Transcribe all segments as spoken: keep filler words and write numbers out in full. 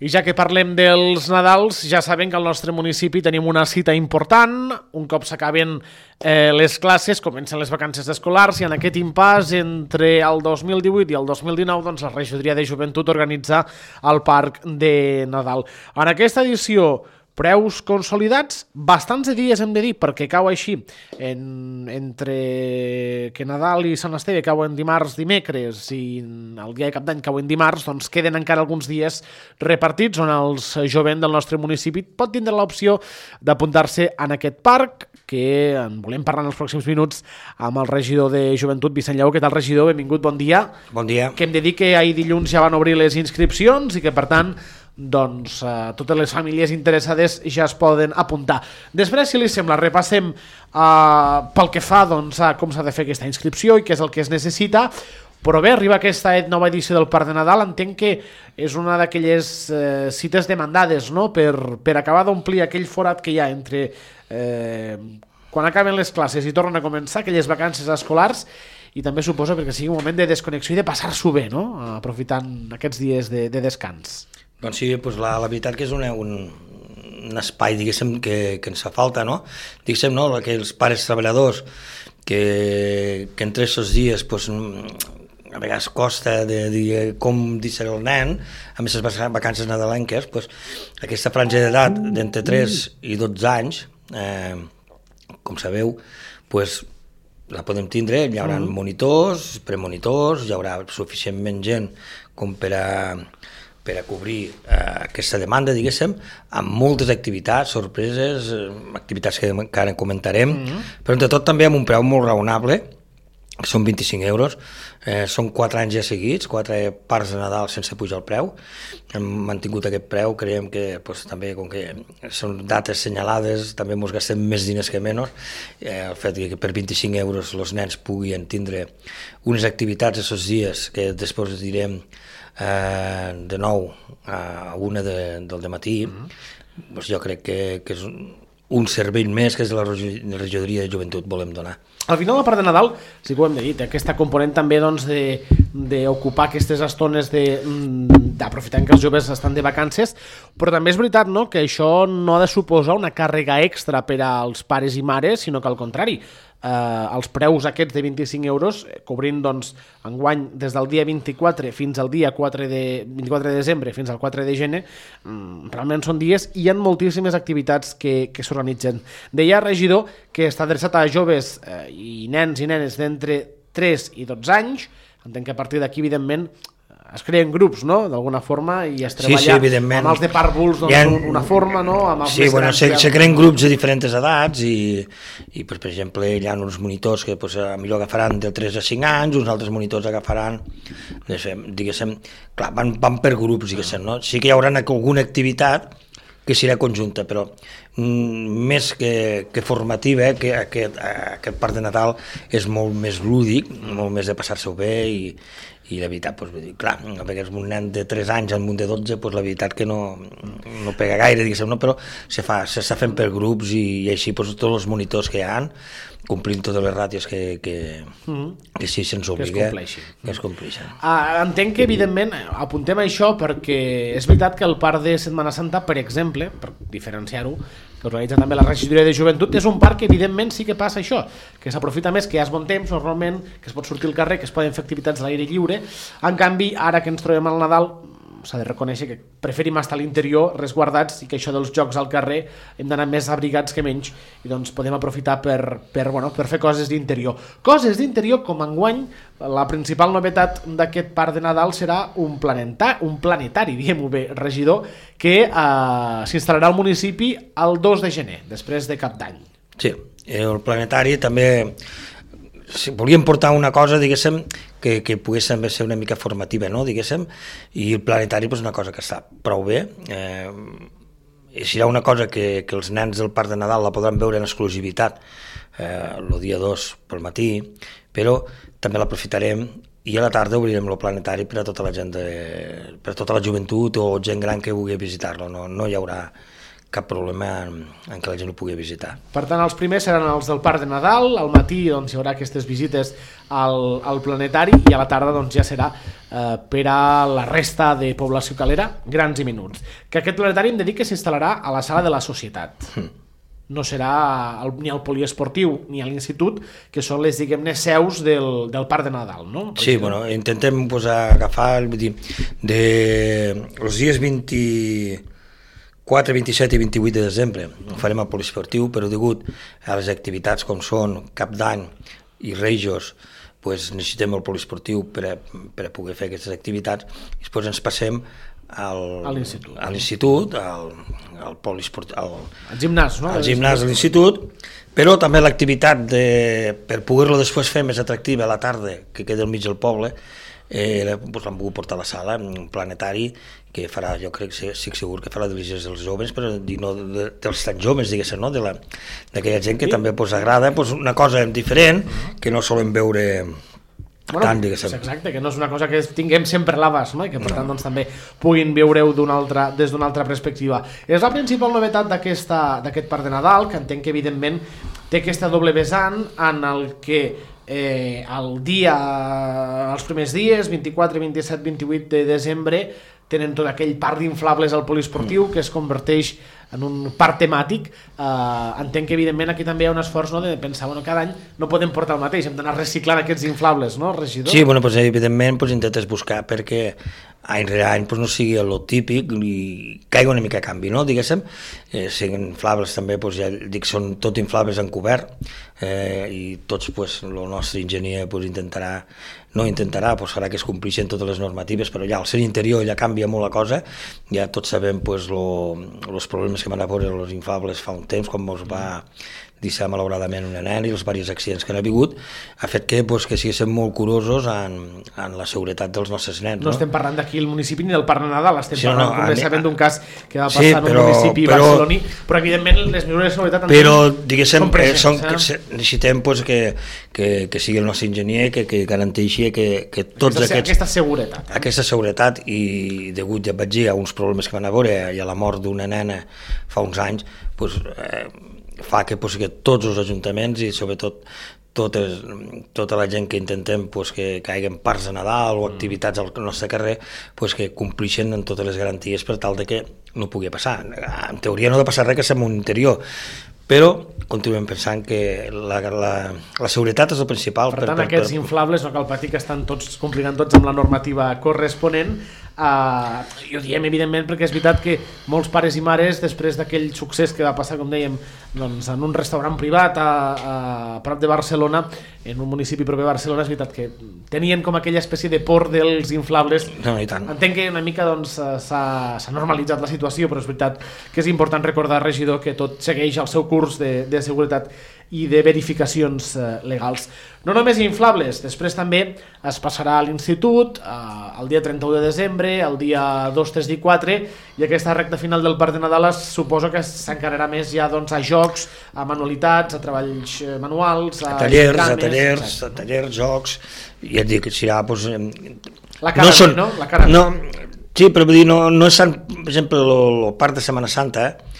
I ja que parlem dels Nadals, ja saben que al nostre municipi tenim una cita important. Un cop s'acaben eh, les classes, comencen les vacances escolars i en aquest impàs entre el dos mil divuit i el dos mil dinou doncs, la regidoria de joventut organitza el Parc de Nadal. En aquesta edició, preus consolidats, bastants de dies hem de dir, perquè cau així, en, entre que Nadal i Sant Esteve cauen dimarts, dimecres, i el dia de Cap d'Any cauen dimarts, doncs queden encara alguns dies repartits on el jovent del nostre municipi pot tindre l'opció d'apuntar-se en aquest parc, que en volem parlar en els pròxims minuts amb el regidor de Joventut, Vicent Lleó. Què tal, regidor? Benvingut, bon dia. Bon dia. Que hem de dir que ahir dilluns ja van obrir les inscripcions i que, per tant, doncs eh, totes les famílies interessades ja es poden apuntar. Després, si li sembla, repassem eh, pel que fa doncs, a com s'ha de fer aquesta inscripció i què és el que es necessita. Però bé, arriba aquesta nova edició del Parc de Nadal, entenc que és una d'aquelles eh, cites demandades, no?, per, per acabar d'omplir aquell forat que hi ha entre eh, quan acaben les classes i tornen a començar aquelles vacances escolars, i també suposo perquè sigui un moment de desconnexió i de passar-s'ho bé, no?, aprofitant aquests dies de, de descans. Doncs sí, doncs la, la veritat que és una, un, un espai, diguéssim, que, que ens fa falta, no? Diguéssim, no?, que els pares treballadors que, que entre aquests dies, doncs, a vegades costa de dir com deixar el nen, amb aquestes vacances nadalenques, doncs, aquesta franja d'edat d'entre tres i dotze anys, eh, com sabeu, doncs, la podem tindre, hi haurà monitors, premonitors, hi haurà suficientment gent com per a per a cobrir eh, aquesta demanda, diguéssim, amb moltes activitats, sorpreses, eh, activitats que encara comentarem, mm-hmm. però entre tot també amb un preu molt raonable, que són vint-i-cinc euros, eh, són quatre anys ja seguits, quatre parcs de Nadal sense pujar el preu, hem mantingut aquest preu, creiem que pues, també, com que són dates senyalades, també ens gastem més diners que menys, eh, el fet que per vint-i-cinc euros els nens puguin tindre unes activitats aquests dies, que després direm eh, de nou a una de, del dematí, mm-hmm. doncs jo crec que, que és un, un servei més que és de la regidoria de joventut volem donar. Al final, la part de Nadal, sí que ho hem de dir, aquesta component també doncs, d'ocupar aquestes estones d'aprofitar que els joves estan de vacances, però també és veritat, no?, que això no ha de suposar una càrrega extra per als pares i mares, sinó que al contrari, eh, els preus aquests de vint-i-cinc euros, cobrint doncs, enguany des del dia vint-i-quatre fins al dia quatre de, vint-i-quatre de desembre fins al quatre de gener, realment són dies i hi ha moltíssimes activitats que, que s'organitzen. Deia, regidor, que està adreçat a joves eh, i nens i nenes d'entre tres i dotze anys. Entenc que a partir d'aquí, evidentment, es creen grups, no?, d'alguna forma, i es treballa sí, sí, amb els de pàrvuls doncs, ha... una forma, no?, amb els sí, bueno, se, se creen grups de diferents edats i, i pues, per exemple, hi ha uns monitors que pues, millor agafaran de tres a cinc anys, uns altres monitors agafaran, diguéssim, clar, van, van per grups, diguéssim, no? Sí que hi haurà alguna activitat que serà conjunta, però mm, més que, que formativa, que aquest, aquest Parc de Nadal és molt més lúdic, molt més de passar-se-ho bé i, i la veritat, doncs, vull dir, clar, perquè és un nen de tres anys amb un de dotze, doncs la veritat que no, no pega gaire, diguéssim, no? Però se fa, s'està fent per grups i, i així doncs, tots els monitors que hi ha, complint totes les ràtios que, que, mm-hmm. que sí se'ns obliga, que es compleixin. Que es compleixin. Ah, entenc que, evidentment, apuntem a això perquè és veritat que el Parc de Setmana Santa, per exemple, per diferenciar-ho, que organitza també la regidoria de joventut, és un parc que, evidentment, sí que passa això, que s'aprofita més, que hi ha bon temps, normalment, que es pot sortir al carrer, que es poden fer activitats a l'aire lliure. En canvi, ara que ens trobem al Nadal, s'ha de reconèixer que preferim estar a l'interior resguardats i que això dels jocs al carrer hem d'anar més abrigats que menys i doncs podem aprofitar per, per, bueno, per fer coses d'interior. Coses d'interior com enguany la principal novetat d'aquest Parc de Nadal serà un, planeta, un planetari, diguem-ho bé, regidor, que eh, s'instal·larà al municipi el dos de gener, després de Cap d'Any. Sí, el planetari també... Si volíem portar una cosa, diguéssim, que, que pogués també ser una mica formativa, no?, diguéssim, i el planetari és una cosa que està prou bé. Eh, serà una cosa que, que els nens del Parc de Nadal la podran veure en exclusivitat eh, el dia dos pel matí, però també l'aprofitarem i a la tarda obrirem el planetari per a tota la gent, de, per a tota la joventut o gent gran que vulgui visitar-lo. No, no hi haurà cap problema en, en que la gent ho pugui visitar. Per tant, els primers seran els del Parc de Nadal, al matí doncs, hi haurà aquestes visites al, al planetari i a la tarda doncs, ja serà eh, per a la resta de població calera, grans i menuts. Que aquest planetari hem de dir que s'instal·larà a la sala de la Societat. Mm. No serà el, ni al poliesportiu ni a l'institut, que són les, diguem-ne, seus del, del Parc de Nadal, no? Sí, bueno, intentem pues, agafar, vull dir, de els dies vint-i-quatre, vint-i-set i vint-i-vuit de desembre ho farem al poliesportiu, però degut a les activitats com són Cap d'Any i Reis, pues, necessitem el poliesportiu per a, per a poder fer aquestes activitats, i després ens passem al, a l'institut, a l'institut al, al polisport, al, al gimnàs, no? al gimnàs de l'institut, però també l'activitat de, per poder-lo després fer més atractiva a la tarda, que queda al mig del poble, eh, doncs l'han volgut portar a la sala, un planetari que farà, jo crec, estic segur que farà delícies dels joves, però no de, dels tan joves, diguéssim, no? D'aquella gent que sí. també pues, agrada pues, una cosa diferent, uh-huh. que no solen veure... Bueno, tant, exacte, que no és una cosa que tinguem sempre a l'abast, no? I que per tant doncs, també puguin veure-ho des d'una altra perspectiva. És la principal novetat d'aquest Parc de Nadal, que entenc que evidentment té aquesta doble vessant en el que eh, el dia, els primers dies, vint-i-quatre, vint-i-set, vint-i-vuit de desembre, tenen tot aquell parc d'inflables al poliesportiu que es converteix en un parc temàtic. eh, entenc que evidentment aquí també hi ha un esforç, no, de pensar, bueno, cada any no podem portar el mateix, hem d'anar reciclant aquests inflables, no, regidor? Sí, bueno, pues, evidentment pues, intentes buscar perquè any rere any pues, no sigui el típic i caigui una mica a canvi, no, diguéssim, eh, siguin inflables també, pues, ja dic, són tot inflables encobert, eh, i tots, pues, el nostre enginyer pues, intentarà, no intentarà, pues, farà que es complixin totes les normatives, però ja al ser interior ja canvia molt la cosa, ja tots sabem pues, els problemes que van a veure els inflables fa un temps, com ens va deixar malauradament una nena i els diversos accidents que han hagut, ha fet que, pues, que siguéssim molt curosos en, en la seguretat dels nostres nens. No, no estem parlant d'aquí el municipi ni del Parc de Nadal, estem sí, parlant, no, com bé sabem, d'un cas que va passar sí, en un però, municipi però, barceloní, però evidentment les mesures de seguretat però, diguéssim, són presents. Són, eh? que necessitem pues, que, que, que sigui el nostre enginyer que, que garanteixi que, que tots aquesta, aquests... Aquesta seguretat. Eh? Aquesta seguretat i degut, ja vaig dir, a uns problemes que van a veure i a la mort d'una nena fa uns anys, pues, eh, fa que, pues, que tots els ajuntaments i sobretot totes, tota la gent que intentem pues, que, que hi hagi parcs de Nadal o activitats al nostre carrer pues, que complixen amb totes les garanties per tal de que no pugui passar. En teoria no ha de passar res que som un interior, però continuem pensant que la, la, la seguretat és el principal. Per tant, per, per, aquests per... inflables no cal patir, que estan tots complint tots amb la normativa corresponent. Uh, i ho diem evidentment perquè és veritat que molts pares i mares, després d'aquell succés que va passar, com dèiem, doncs, en un restaurant privat a, a prop de Barcelona, en un municipi proper a Barcelona, és veritat que tenien com aquella espècie de por dels inflables. No, i tant. Entenc que una mica doncs, s'ha normalitzat la situació, però és veritat que és important recordar, regidor, que tot segueix el seu curs de, de seguretat i de verificacions eh, legals. No només inflables, després també es passarà a l'institut eh, el dia trenta-u de desembre, el dia dos, tres i quatre, i aquesta recta final del Parc de Nadal es suposa que s'encararà més ja doncs, a jocs, a manualitats, a treballs manuals, a, a tallers, cames, a tallers, a tallers, jocs, i et dic, serà pues, la cara, no, són, no? La cara no, sí, però vull dir, no, no és tant, per exemple, el Parc de Setmana Santa, eh?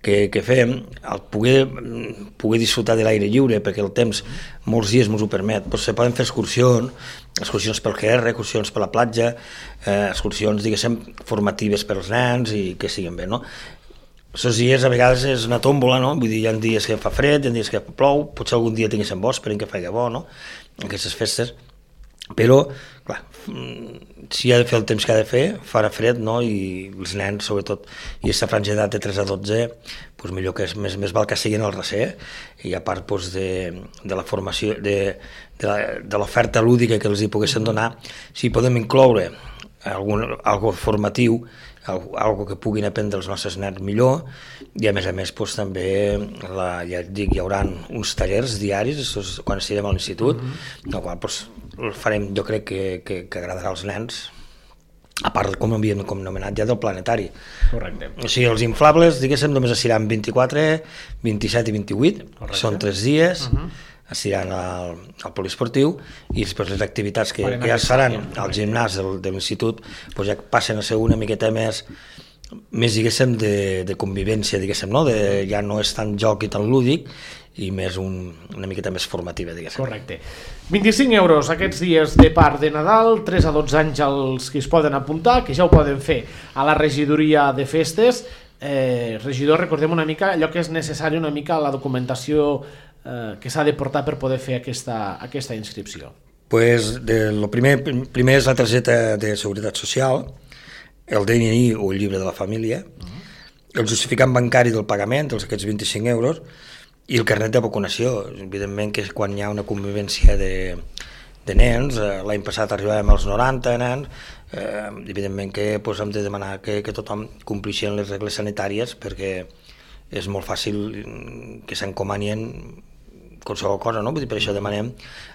Que, que fem, el poder, poder disfrutar de l'aire lliure, perquè el temps molts dies ens ho permet, però se poden fer excursions, excursions pel G R, excursions per la platja, eh, excursions, diguéssim, formatives per als nens i que siguin bé, no? Aquests dies a vegades és una tòmbola, no? Vull dir, hi ha dies que fa fred, hi ha dies que plou, potser algun dia tinguéssim bo, esperem que faci bo, no? Aquestes festes, però, clar, si ha de fer el temps que ha de fer, farà fred, no? I els nens, sobretot, i aquesta franja d'edat de tres a dotze, doncs millor que és, més, més val que siguin al recer, i a part doncs, de, de la formació, de, de l'oferta lúdica que els hi poguessin donar, si podem incloure algun, algo formatiu, algo, algo que puguin aprendre els nostres nens millor, i a més a més doncs, també la, ja et dic, hi haurà uns tallers diaris quan estiguem a l'institut, mm-hmm. el qual doncs, el farem, jo crec que, que, que agradarà als nens, a part com havíem com nomenat ja del planetari. Correcte. O sigui, els inflables, diguéssim, només es seran vint-i-quatre, vint-i-set i vint-i-vuit, correcte. Són tres dies, uh-huh. es seran al, al poliesportiu, i després les activitats que, que ja seran al gimnàs del, de l'institut, doncs ja passen a ser una miqueta més més, diguéssim, de, de convivència, diguéssim, no? De, ja no és tan joc i tan lúdic, i més un, una miqueta més formativa, diguéssim. Correcte. vint-i-cinc euros aquests dies de part de Nadal, tres a dotze anys els que es poden apuntar, que ja ho poden fer a la regidoria de festes. Eh, regidor, recordem una mica allò que és necessari, una mica la documentació eh, que s'ha de portar per poder fer aquesta, aquesta inscripció. Pues de, lo primer, primer és la targeta de seguretat social, el D N I o el llibre de la família, uh-huh. el justificant bancari del pagament, els aquests vint-i-cinc euros, i el carnet de vacunació. Evidentment que quan hi ha una convivència de, de nens, eh, l'any passat arribàvem als noranta nens, eh, evidentment que pues, hem de demanar que, que tothom complixin les regles sanitàries, perquè és molt fàcil que s'encomanien qualsevol cosa, no? Vull dir, per això demanem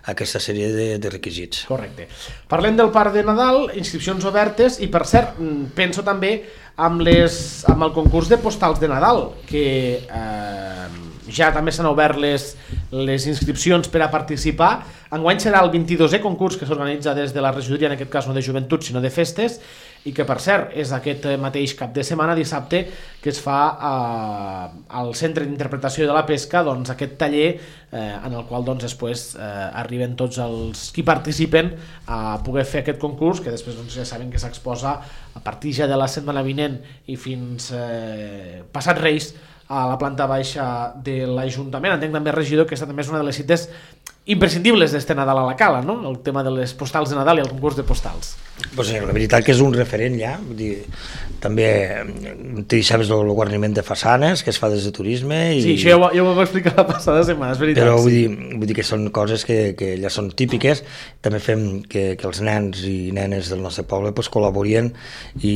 aquesta sèrie de, de requisits. Correcte. Parlem del Parc de Nadal, inscripcions obertes, i per cert, penso també amb, les, amb el concurs de postals de Nadal, que eh, ja també s'han obert les, les inscripcions per a participar. Enguany serà el vint-i-dosè concurs que s'organitza des de la regidoria, en aquest cas no de joventut sinó de festes, i que per cert és aquest mateix cap de setmana, dissabte, que es fa eh, al Centre d'Interpretació de la Pesca, doncs aquest taller eh, en el qual doncs, després eh, arriben tots els qui participen a poder fer aquest concurs, que després doncs, ja saben que s'exposa a partir ja de la setmana vinent i fins eh, passat Reis a la planta baixa de l'Ajuntament. Entenc també, regidor, que aquesta també és una de les cites imprescindibles d'este Nadal a la Cala, no? El tema de les postals de Nadal i el concurs de postals. Pues, la veritat que és un referent ja, vull dir, també te sabes el guarniment de façanes que es fa des de turisme i... Sí, això ja ho, ja ho vam explicar la passada setmana, és veritat. Però vull sí. dir, vull dir que són coses que, que ja són típiques. També fem que, que els nens i nenes del nostre poble pues, col·laborien i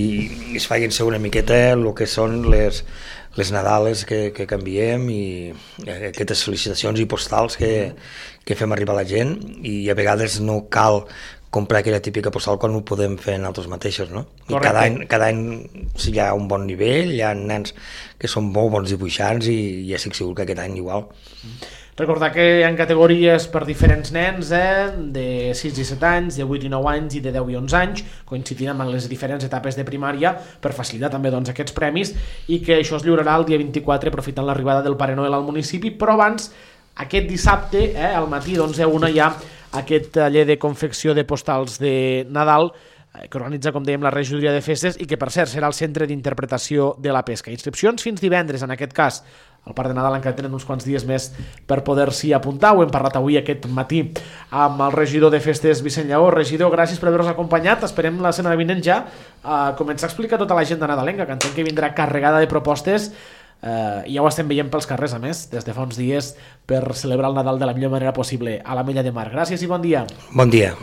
es facin ser una miqueta el que són les les Nadales que, que canviem i aquestes felicitacions i postals que, que fem arribar a la gent, i a vegades no cal comprar aquella típica postal quan ho podem fer nosaltres mateixos, no? I cada any, cada any hi ha un bon nivell, hi ha nens que són molt bons dibuixants i ja estic segur que aquest any igual. Recordar que hi ha categories per diferents nens, eh, de sis i set anys, de vuit i nou anys i de deu i onze anys, coincidint amb les diferents etapes de primària per facilitar també doncs, aquests premis, i que això es lliurarà el dia vint-i-quatre aprofitant l'arribada del Pare Noel al municipi, però abans, aquest dissabte, eh, al matí d'onze a una, hi ha aquest taller de confecció de postals de Nadal eh, que organitza, com dèiem, la regidoria de festes i que, per cert, serà el Centre d'Interpretació de la Pesca. Inscripcions fins divendres, en aquest cas. El Parc de Nadal encara tenen uns quants dies més per poder-s'hi apuntar. Ho hem parlat avui aquest matí amb el regidor de festes, Vicent Lleó. Regidor, gràcies per haver-nos acompanyat. Esperem la setmana vinent ja a començar a explicar tota l'agenda nadalenca, que entenc que vindrà carregada de propostes. Uh, ja ho estem veient pels carrers, a més, des de fa uns dies, per celebrar el Nadal de la millor manera possible a l'Ametlla de Mar. Gràcies i bon dia. Bon dia.